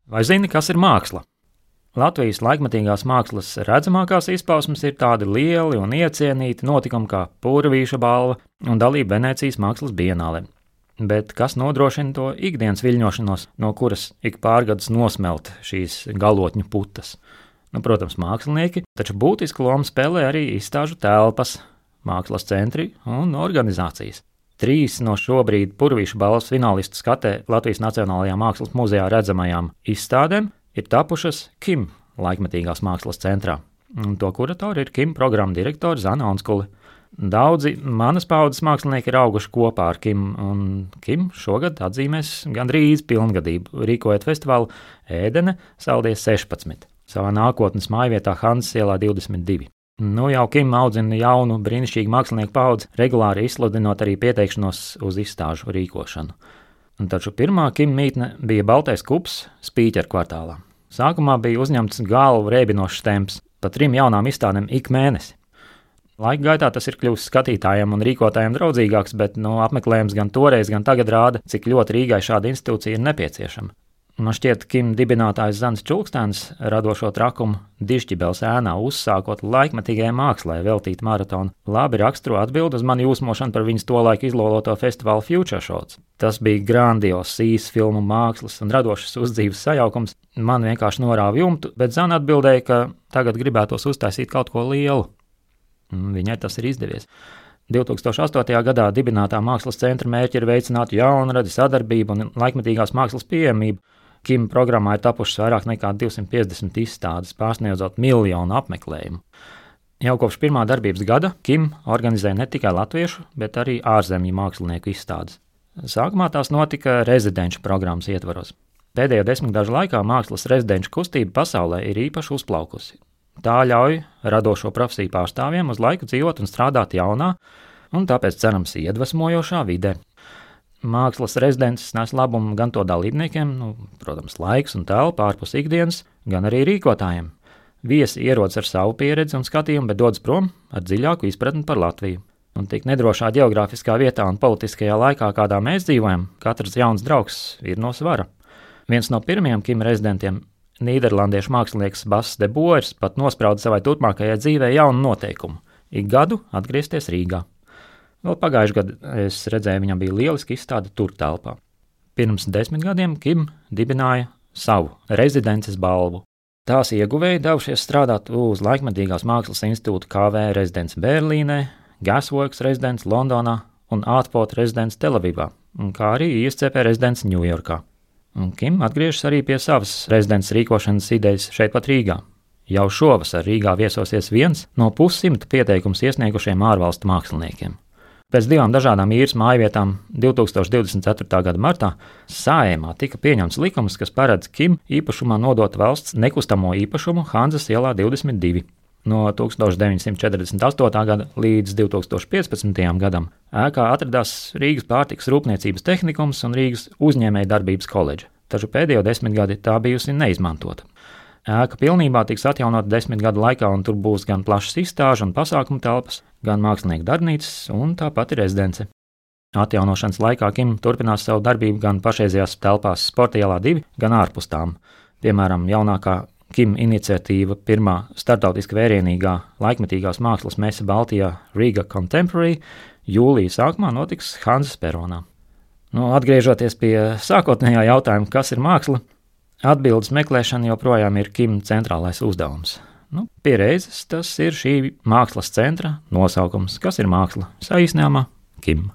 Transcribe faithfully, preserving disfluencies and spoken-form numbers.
Vai zini, kas ir māksla? Latvijas laikmetīgās mākslas redzamākās izpausmes ir tādi lieli un iecienīti notikumi kā Pūravīša balva un dalība Venēcijas mākslas bienālē. Bet kas nodrošina to ikdienas viļņošanos, no kuras ik pārgadus nosmelt šīs galotņu putas? Nu, protams, mākslinieki, taču būtisku lomu spēlē arī izstāžu telpas, mākslas centri un organizācijas. Trīs no šobrīd Pūravīša balvas finālistu skatē Latvijas Nacionālajā mākslas muzejā redzamajām izstādēm ir tapušas KIM laikmetīgās mākslas centrā. Un to kuratori ir KIM programmu direktori Zana Onskule. Daudzi manas paudzes mākslinieki ir auguši kopā ar KIM, un KIM šogad atzīmēs gandrīz pilngadību, rīkojot festivālu Ēdene Saldies sešpadsmit, savā nākotnes mājvietā Hanzas ielā divdesmit divi. Nu jau KIM audzina jaunu, brīnišķīgu mākslinieku paudzi, regulāri izsludinot arī pieteikšanos uz izstāžu rīkošanu. Un taču pirmā KIM mītne bija Baltais kups Spīķeru kvartālā. Sākumā bija uzņemts galvu rēbinošs temps, pa trim jaunām izstādēm ik mēnesi. Laika gaitā tas ir kļuvis skatītājiem un rīkotājiem draudzīgāks, bet no apmeklējums gan toreiz, gan tagad rāda, cik ļoti Rīgai šāda institūcija ir nepieciešama. Man šķiet, KIM dibinātājs Zants Čulkstēns radošo trakumu Dižķibeles ēnā uzsākot laikmetīgajai mākslai veltīt maratonu labi raksturo atbildi uz mani jūsmošanu par viņas tolaik izloloto festivālu Future Shots. Tas bija grandios sīs filmu mākslas un radošas uzdzīves sajaukums. Man vienkārši norāva jumtu, bet Zana atbildēja, ka tagad gribētos uztaisīt kaut ko lielu. Viņai tas ir izdevies. divi tūkstoši astotajā gadā dibinātā mākslas centra mērķi ir veicināt jaunradi, sadarbību un laikmetīgās mākslas pieejamību. KIM programmā ir tapušas vairāk nekā divsimt piecdesmit izstādes, pārsniedzot miljonu apmeklējumu. Jau kopš pirmā darbības gada KIM organizē ne tikai latviešu, bet arī ārzemju mākslinieku izstādes. Sākumā tās notika rezidenču programmas ietvaros. Pēdējo desmitgažu laikā mākslas rezidenču kustība pasaulē ir īpaši uzplaukusi. Tā ļauj radošo profesiju pārstāvjiem uz laiku dzīvot un strādāt jaunā, un tāpēc cerams iedvesmojošā vidē. Mākslas rezidences nes labumu gan to dalībniekiem, nu, protams, laiks un telpa ārpus ikdienas, gan arī rīkotājiem. Viesi ierodas ar savu pieredzi un skatījumu, bet dodas prom ar dziļāku izpratni par Latviju. Un tik nedrošā geogrāfiskā vietā un politiskajā laikā, kādā mēs dzīvojam, katrs jauns draugs ir no svara. Viens no pirmajiem KIM rezidentiem, nīderlandiešu mākslinieks Bas de Boers, pat nosprauda savai turpmākajai dzīvē jaunu noteikumu – ik gadu atgriezties Rīgā. Vēl pagājušajā gadā es redzēju, viņam bija lieliski izstāde tur telpā. Pirms desmit gadiem KIM dibināja savu rezidences balvu. Tās ieguvēji devušies strādāt uz Laikmetīgās mākslas institūta K V rezidents Berlīnē, Gasworks rezidents Londonā un Artport rezidents Telavivā, kā arī I S C P rezidents Ņujorkā. Un KIM atgriežas arī pie savas rezidents rīkošanas idejas šeit pat Rīgā. Jau šovasar Rīgā viesosies viens no pussimta pieteikums iesniegušiem ārvalstu māksliniekiem. Pēc divām dažādām īres mājvietām divi tūkstoši divdesmit ceturtā gada martā Saeimā tika pieņemts likums, kas paredz KIM īpašumā nodot valsts nekustamo īpašumu Hanzas ielā divdesmit divi. No tūkstoš deviņsimt četrdesmit astotā gada līdz divi tūkstoši piecpadsmitajam gadam ēkā atradās Rīgas pārtikas rūpniecības tehnikums un Rīgas uzņēmēja darbības koledža, taču pēdējo desmit gadi tā bijusi neizmantota. Ēka pilnībā tiks atjaunota desmit gadu laikā, un tur būs gan plašas izstāžu un pasākumu telpas, gan mākslinieku darbnīcas un tāpat ir rezidence. Atjaunošanas laikā KIM turpinās savu darbību gan pašreizējās telpās Sporta ielā divi, gan ārpus tām. Piemēram, jaunākā KIM iniciatīva pirmā starptautiski vērienīgā laikmetīgās mākslas mese Baltijā Riga Contemporary jūlija sākumā notiks Hanzas peronā. Nu, atgriežoties pie sākotnējā jautājuma, kas ir māksla, atbildes meklēšana joprojām ir KIM centrālais uzdevums. Nu, pie reizes tas ir šī mākslas centra nosaukums, kas ir māksla, saīsinājumā KIM.